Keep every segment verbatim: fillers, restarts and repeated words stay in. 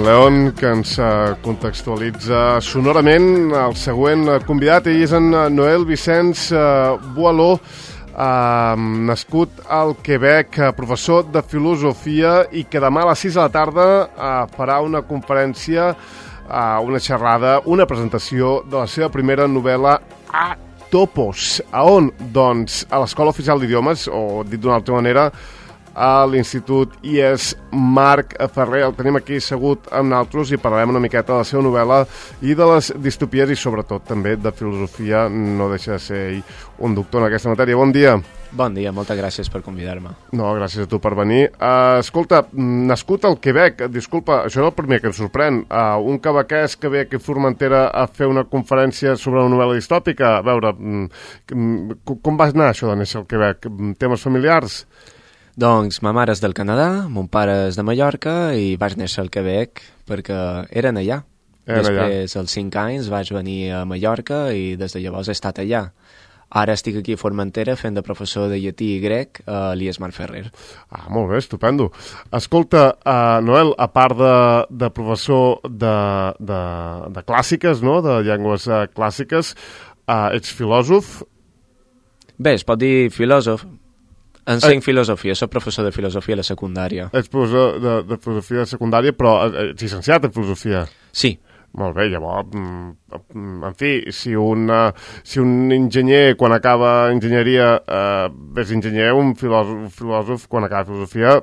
León, que ens contextualitza sonorament el següent convidat. Ell és en Noel Vicenç Boaló, eh, nascut al Quebec, professor de filosofia, i que demà a les sis de la tarda eh, farà una conferència, eh, una xerrada, una presentació de la seva primera novel·la, A Topos. A on? Doncs a l'Escola Oficial d'Idiomes, o dit d'una altra manera, a l'Institut I E S Marc Ferrer. El tenim aquí assegut amb nosaltres i parlarem una miqueta de la seva novel·la i de les distopies i sobretot també de filosofia. No deixa de ser ell un doctor en aquesta matèria. Bon dia. Bon dia, moltes gràcies per convidar-me. No, gràcies a tu per venir. Uh, escolta, nascut al Quebec, disculpa, això és el primer que ens sorprèn. Uh, un quebequès que ve aquí a Formentera a fer una conferència sobre una novel·la distòpica. A veure, um, com va anar això de néixer al Quebec? Temes familiars? Doncs ma mare és del Canadà, mon pare és de Mallorca i vaig néixer al Quebec perquè eren allà. Eren Després, allà. als cinc anys, vaig venir a Mallorca i des de llavors he estat allà. Ara estic aquí a Formentera fent de professor de llatí i grec a l'I E S Marc Ferrer. Ah, molt bé, estupendo. Escolta, uh, Noel, a part de, de professor de, de, de clàssiques, no?, de llengües uh, clàssiques, uh, ets filòsof? Bé, es pot dir filòsof. Ensenc filosofia, soc professor de filosofia a la secundària. Ets professor de, de filosofia de secundària, però ets llicenciat en filosofia? Sí. Molt bé, llavors, en fi, si un, si un enginyer, quan acaba enginyeria, eh, és enginyer, un filòsof, un filòsof, quan acaba filosofia,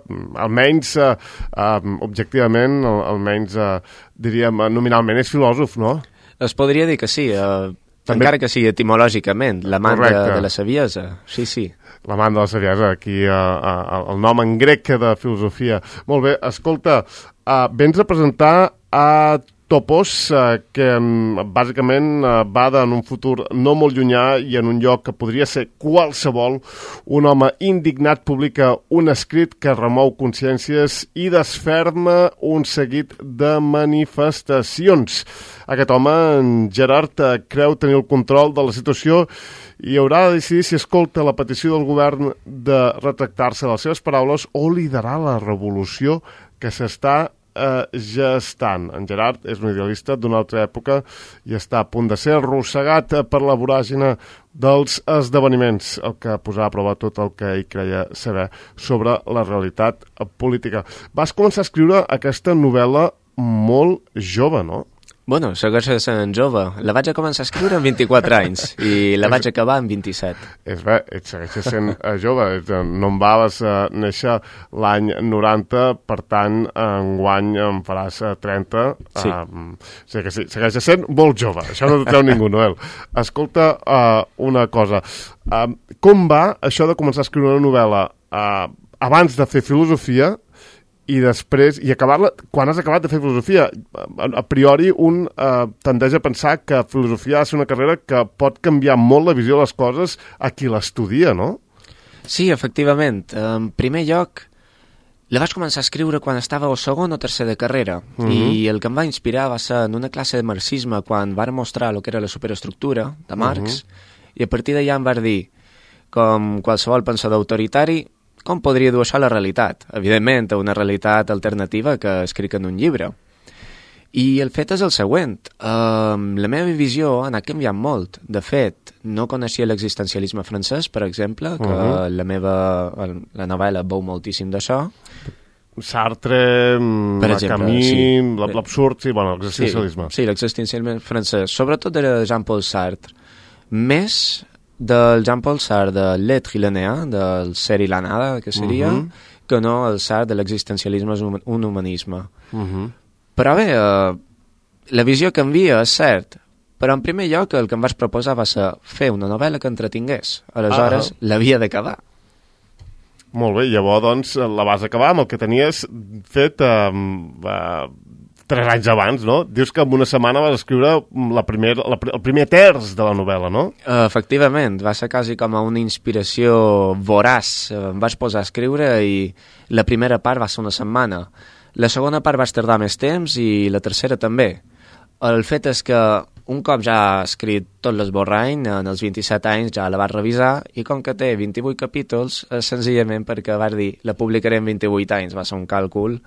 almenys, eh, eh, objectivament, almenys, eh, diríem, nominalment és filòsof, no? Es podria dir que sí, eh, També... encara que sigui etimològicament, l'amant de, de la saviesa, sí, sí. L'amant de la saviesa, aquí uh, uh, el nom en grec de filosofia. Molt bé, escolta, uh, vens a presentar a Topos, uh, que um, bàsicament uh, va en un futur no molt llunyà i en un lloc que podria ser qualsevol. Un home indignat publica un escrit que remou consciències i desferma un seguit de manifestacions. Aquest home, en Gerard, uh, creu tenir el control de la situació i haurà de decidir si escolta la petició del govern de retractar-se de les seves paraules o liderar la revolució que s'està eh, gestant. En Gerard és un idealista d'una altra època i està a punt de ser arrossegat per la voràgina dels esdeveniments, el que posarà a prova tot el que ell creia saber sobre la realitat política. Vas començar a escriure aquesta novel·la molt jove, no? Bueno, segueixo sent jove. La vaig a començar a escriure amb vint-i-quatre anys i la vaig acabar amb vint-i-set. És bé, et segueixes sent uh, jove. No em vas uh, néixer l'any noranta, per tant, enguany em faràs uh, trenta. Sí. Uh, o sigui que sí, segueixes sent molt jove. Això no t'ho treu ningú, Noel. Escolta, uh, una cosa. Uh, com va això de començar a escriure una novel·la uh, abans de fer filosofia i després, i acabar-la, quan has acabat de fer filosofia? A, a priori un eh, tendeix a pensar que filosofia ha de ser una carrera que pot canviar molt la visió de les coses a qui l'estudia, no? Sí, efectivament. En primer lloc, la vaig començar a escriure quan estava a segon o tercer de carrera, uh-huh. i el que em va inspirar va ser en una classe de marxisme quan van mostrar el que era la superestructura de Marx, uh-huh. i a partir d'allà em va dir, com qualsevol pensador autoritari, com podria dur això a la realitat? Evidentment, a una realitat alternativa que escric en un llibre. I el fet és el següent. Uh, la meva visió ha anat canviant molt. De fet, no coneixia l'existencialisme francès, per exemple, que uh-huh. la meva la novel·la veu moltíssim d'això. Sartre, per exemple, Camus, sí. l'absurd, sí, bueno, l'existencialisme. Sí, sí, l'existencialisme francès. Sobretot de Jean-Paul Sartre. Més del Jean-Paul Sartre de l'être linéen, del ser i la nada, que seria, uh-huh. que no el Sartre de l'existencialisme és un humanisme. Uh-huh. Però bé, eh, la visió canvia, és cert, però en primer lloc el que em vaig proposar va ser fer una novel·la que entretingués. Aleshores, uh-huh. l'havia d'acabar. Molt bé, llavors doncs la vas acabar amb el que tenies fet eh, eh, tres anys abans, no? Dius que en una setmana vas escriure la primer, la, el primer terç de la novel·la, no? Uh, efectivament, va ser quasi com a una inspiració voraç. Em vaig posar a escriure i la primera part va ser una setmana. La segona part vaig tardar més temps i la tercera també. El fet és que un cop ja ha escrit tot l'esborrany, en els vint-i-set anys ja la vaig revisar i com que té vint-i-vuit capítols, és senzillament perquè vaig dir la publicaré en vint-i-vuit anys, va ser un càlcul,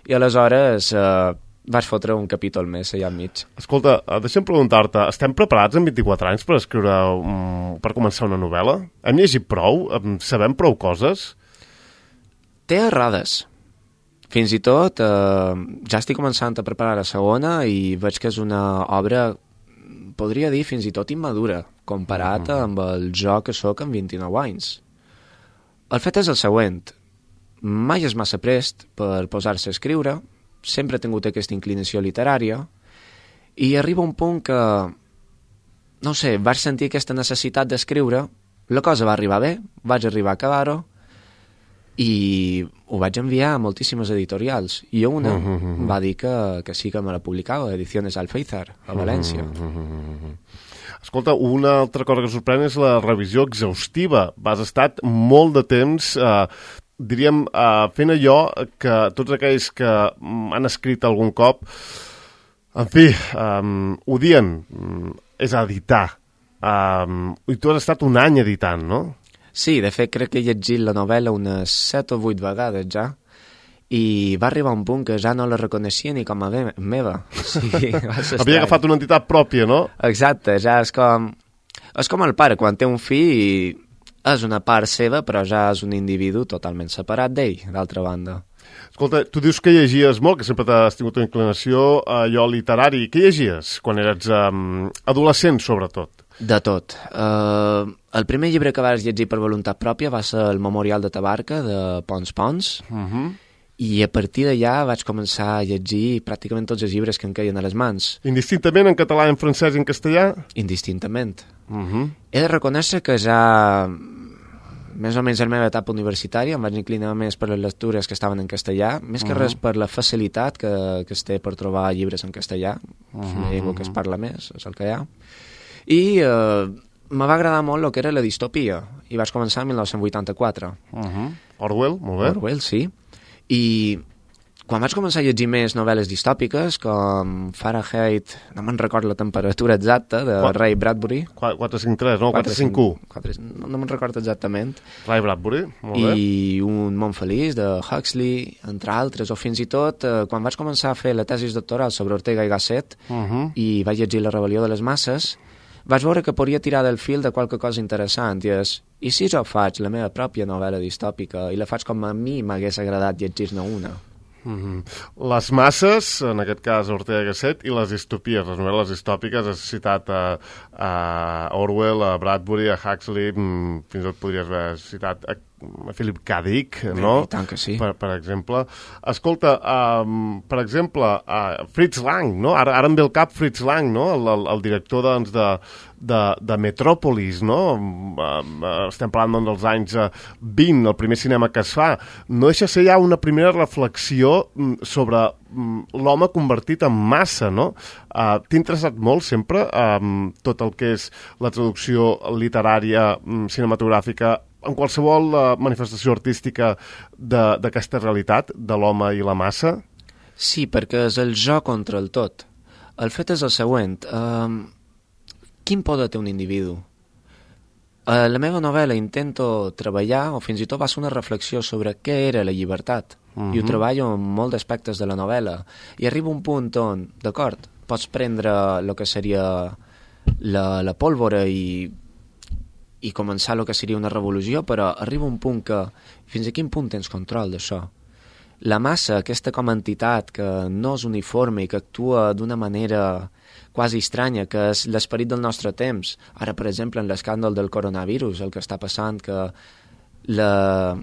i aleshores eh, vaig fotre un capítol més allà enmig. Escolta, deixa'm preguntar-te, estem preparats en vint-i-quatre anys per escriure, um, per començar una novel·la? Hem llegit prou? Sabem prou coses? Té errades. Fins i tot, eh, ja estic començant a preparar la segona i veig que és una obra, podria dir, fins i tot immadura, comparat mm. amb el jo que sóc amb vint-i-nou anys. El fet és el següent. Mai és massa prest per posar-se a escriure, sempre he tingut aquesta inclinació literària, i arriba un punt que, no sé, vaig sentir aquesta necessitat d'escriure, la cosa va arribar bé, vaig arribar a acabar-ho, i ho vaig enviar a moltíssimes editorials, i una uh -huh. va dir que, que sí que me la publicava, Ediciones Alféizar, a València. Uh -huh. Escolta, una altra cosa que sorprèn és la revisió exhaustiva. Has estat molt de temps... Eh, diríem, uh, fent allò que tots aquells que han escrit algun cop, en fi, um, odien, um, és editar. Um, I tu has estat un any editant, no? Sí, de fet crec que he llegit la novel·la unes set o vuit vegades ja, i va arribar un punt que ja no la reconeixia ni com a me meva. Sí, havia agafat una entitat pròpia, no? Exacte, ja és com... És com el pare, quan té un fill i... és una part seva, però ja és un individu totalment separat d'ell, d'altra banda. Escolta, tu dius que llegies molt, que sempre t'has tingut una inclinació a allò literari. Què llegies quan eres um, adolescent, sobretot? De tot. Uh, el primer llibre que vas llegir per voluntat pròpia va ser el Memorial de Tabarca, de Pons Pons, uh -huh. i a partir d'allà vaig començar a llegir pràcticament tots els llibres que em queien a les mans. Indistintament en català, en francès i en castellà? Indistintament. Uh -huh. He de reconèixer que ja... més o menys a la meva etapa universitària em vaig inclinar més per les lectures que estaven en castellà, més que uh -huh. res per la facilitat que, que es té per trobar llibres en castellà, uh -huh. és una llengua que es parla més, és el que hi ha. I eh, me va agradar molt el que era la distopia, i vaig començar en mil nou-cents vuitanta-quatre. Uh -huh. Orwell, molt bé. Orwell, sí. I quan vaig començar a llegir més novel·les distòpiques, com Fahrenheit, no me'n recordo la temperatura exacta, de Qu Ray Bradbury. quatre cinc tres, no? quatre cinc u. No, no me'n recordo exactament. Ray Bradbury, molt bé. I Un món feliç, de Huxley, entre altres, o fins i tot, eh, quan vaig començar a fer la tesis doctoral sobre Ortega i Gasset, uh -huh. i vaig llegir La rebel·lió de les masses, vaig veure que podria tirar del fil de qualque cosa interessant, i és, i si jo faig la meva pròpia novel·la distòpica, i la faig com a mi m'hagués agradat llegir-ne una? Mm-hmm. Les masses, en aquest cas Ortega i Gasset, i les distopies, les novel·les distòpiques, has citat a, a Orwell, a Bradbury, a Huxley, fins i tot podries haver citat a a Philip K. Dick, no? I tant que sí. Per, per exemple. Escolta, um, per exemple, uh, Fritz Lang, no? Ara, ara em ve al cap Fritz Lang, no? El, el, el director, doncs, de, de, de Metròpolis, no? Uh, estem parlant, doncs, dels anys uh, vint, el primer cinema que es fa. No deixa ser ja una primera reflexió sobre um, l'home convertit en massa, no? Uh, T'ha interessat molt sempre um, tot el que és la traducció literària, um, cinematogràfica, en qualsevol uh, manifestació artística d'aquesta realitat, de l'home i la massa? Sí, perquè és el jo contra el tot. El fet és el següent. Uh, quin poder té un individu? A la meva novel·la intento treballar, o fins i tot va ser una reflexió sobre què era la llibertat, uh-huh. i ho treballo en molts aspectes de la novel·la. I arriba un punt on, d'acord, pots prendre el que seria la, la pólvora i i començar el que seria una revolució, però arriba un punt que fins a quin punt tens control d'això? La massa, aquesta com a entitat que no és uniforme i que actua d'una manera quasi estranya, que és l'esperit del nostre temps. Ara, per exemple, en l'escàndol del coronavirus, el que està passant, que la,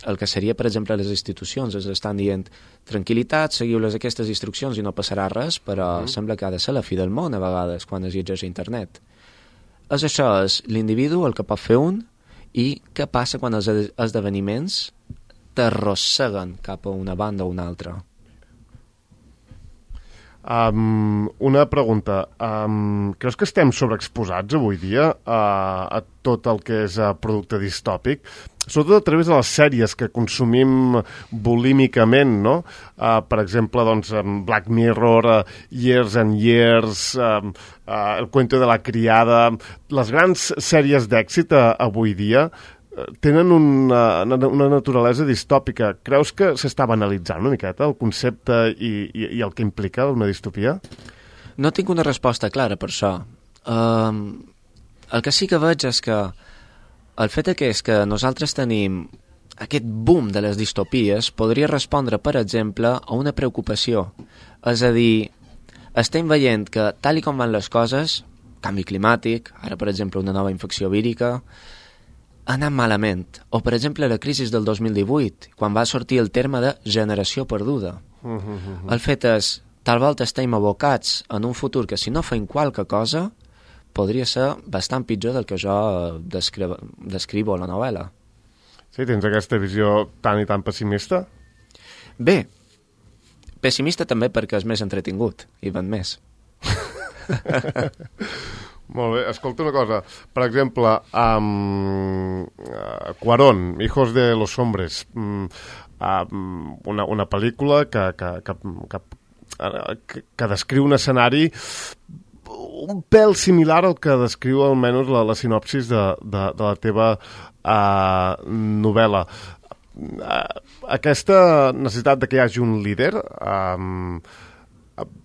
el que seria, per exemple, les institucions es estan dient tranquil·litat, seguiu-les aquestes instruccions i no passarà res, però mm. sembla que ha de ser la fi del món a vegades quan es llegeix a internet. És això, és l'individu el que pot fer un, i què passa quan els esdeveniments t'arrosseguen cap a una banda o una altra. Um, una pregunta. Um, creus que estem sobreexposats avui dia a, a tot el que és a producte distòpic? Sobretot a través de les sèries que consumim bulímicament, no? Uh, per exemple, doncs, Black Mirror, uh, Years and Years, uh, uh, El cuento de la criada... Les grans sèries d'èxit uh, avui dia, tenen una, una naturalesa distòpica. Creus que s'està banalitzant una miqueta el concepte i, i, i el que implica una distopia? No tinc una resposta clara per això. Um, el que sí que veig és que el fet que és que nosaltres tenim aquest boom de les distopies podria respondre, per exemple, a una preocupació. És a dir, estem veient que, tal i com van les coses, canvi climàtic, ara, per exemple, una nova infecció vírica, ha anat malament. O, per exemple, la crisi del dos mil divuit, quan va sortir el terme de generació perduda. Uh -huh. El fet és, tal volta estem abocats en un futur que, si no fem qualque cosa, podria ser bastant pitjor del que jo descrivo, descrivo a la novel·la. Sí, tens aquesta visió tan i tan pessimista? Bé, pessimista també perquè és més entretingut i ven més. Molt bé, escolta una cosa. Per exemple, um, uh, Cuarón, Hijos de los Hombres, um, uh, una, una pel·lícula que, que, que, que, que, que descriu un escenari un pèl similar al que descriu almenys la, la sinopsis de, de, de la teva uh, novel·la. Uh, aquesta necessitat de que hi hagi un líder um,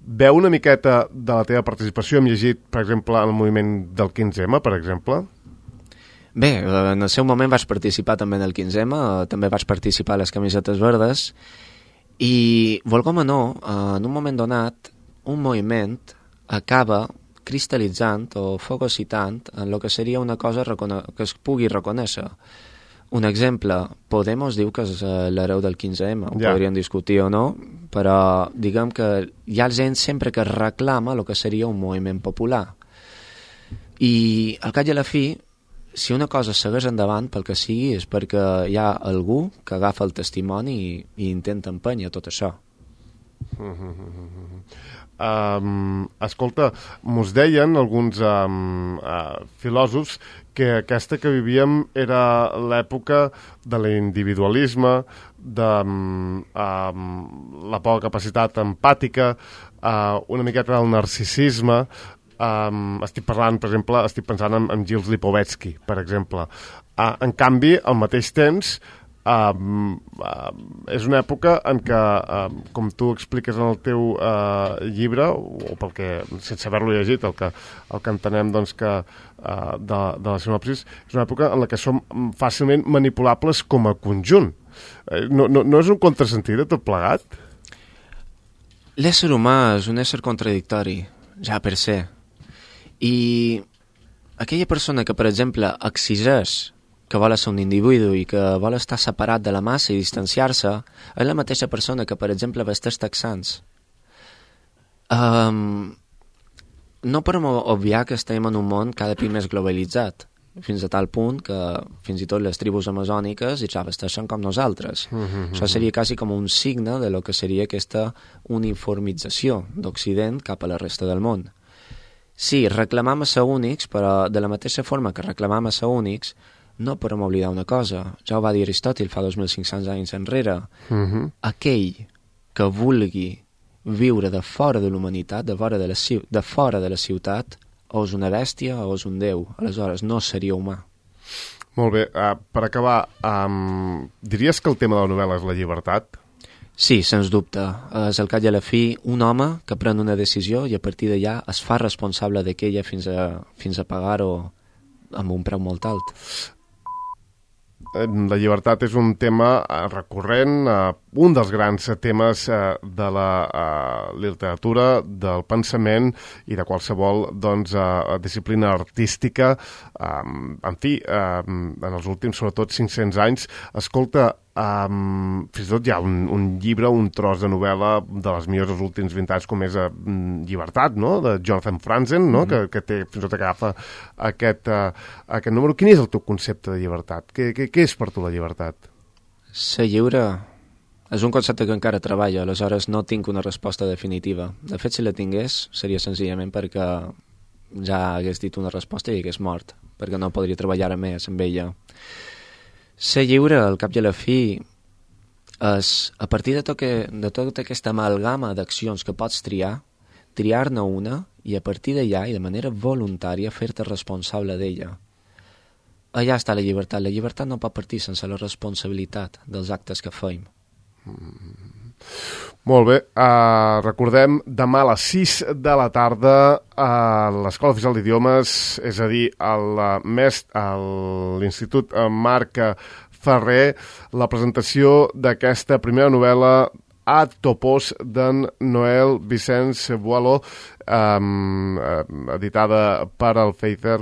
veu una miqueta de la teva participació. Hem llegit, per exemple, en el moviment del quinze eme, per exemple. Bé, en el seu moment vaig participar també en el quinze eme, també vaig participar a les camisetes verdes, i, volgom o no, en un moment donat, un moviment acaba cristal·litzant o fagocitant en el que seria una cosa que es pugui reconèixer. Un exemple, Podemos diu que és l'hereu del quinze eme, ho ja. Podríem discutir o no, però diguem que hi ha gent sempre que reclama el que seria un moviment popular. I al cap i a la fi, si una cosa segueix endavant, pel que sigui, és perquè hi ha algú que agafa el testimoni i, i intenta empènyer tot això. Um, escolta, mos deien alguns um, uh, filòsofs que aquesta que vivíem era l'època de l'individualisme, de um, um, la poca capacitat empàtica, uh, una miqueta del narcisisme. Um, estic parlant, per exemple, estic pensant en, en Gilles Lipovetsky, per exemple. Uh, en canvi, al mateix temps, Uh, uh, és una època en què, uh, com tu expliques en el teu uh, llibre, o pel que, sense haver-lo llegit, el que, el que entenem doncs, que, uh, de, de la sinopsis, és una època en la que som fàcilment manipulables com a conjunt. Uh, no, no, no és un contrasentit de tot plegat? L'ésser humà és un ésser contradictori, ja per ser. I aquella persona que, per exemple, exigeix que vol ser un individu i que vol estar separat de la massa i distanciar-se, és la mateixa persona que, per exemple, vesteix texans. Um, no podem obviar que estem en un món cada cop més globalitzat, fins a tal punt que fins i tot les tribus amazòniques ja vesteixen com nosaltres. Mm-hmm. Això seria quasi com un signe de lo que seria aquesta uniformització d'Occident cap a la resta del món. Sí, reclamam a ser únics, però de la mateixa forma que reclamam a ser únics, no podem oblidar una cosa. Ja ho va dir Aristòtil fa dos mil cinc-cents anys enrere. Uh-huh. Aquell que vulgui viure de fora de l'humanitat, de fora de la, de fora de la ciutat, o és una bèstia o és un déu. Aleshores, no seria humà. Molt bé. Uh, per acabar, um, diries que el tema de la novel·la és la llibertat? Sí, sens dubte. És al cap i a la fi un home que pren una decisió i a partir d'allà es fa responsable d'aquella fins a, fins a pagar-ho amb un preu molt alt. La llibertat és un tema recurrent, un dels grans temes de la literatura, del pensament i de qualsevol doncs, disciplina artística. En fi, en els últims, sobretot, cinc-cents anys, escolta, Um, fins i tot hi ha un, un llibre, un tros de novel·la de les millors dels últims vint anys, com és uh, Llibertat, no?, de Jonathan Franzen, no?, mm-hmm. que, que té, fins i tot agafa aquest, uh, aquest número. Quin és el teu concepte de llibertat? Què, què, què és per tu la llibertat? Ser lliure és un concepte que encara treballo, aleshores no tinc una resposta definitiva. De fet, si la tingués, seria senzillament perquè ja hagués dit una resposta i hagués mort, perquè no podria treballar més amb ella. Ser lliure, al cap i a la fi, és, a partir de, tot que, de tota aquesta amalgama d'accions que pots triar, triar-ne una i a partir d'allà i de manera voluntària fer-te responsable d'ella. allà està la llibertat. La llibertat no pot partir sense la responsabilitat dels actes que feim. Mm. Molt bé, uh, recordem, demà a les sis de la tarda a l'Escola Oficial d'Idiomes, és a dir, a l'Institut Marc Ferrer, la presentació d'aquesta primera novel·la Ad Topos d'en Noel Vicenç Boileau, um, editada per el Feither.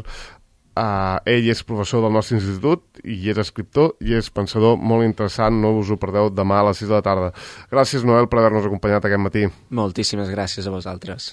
Uh, ell és professor del nostre institut i és escriptor i és pensador molt interessant, no us ho perdeu demà a les sis de la tarda. Gràcies, Noel, per haver-nos acompanyat aquest matí. Moltíssimes gràcies a vosaltres.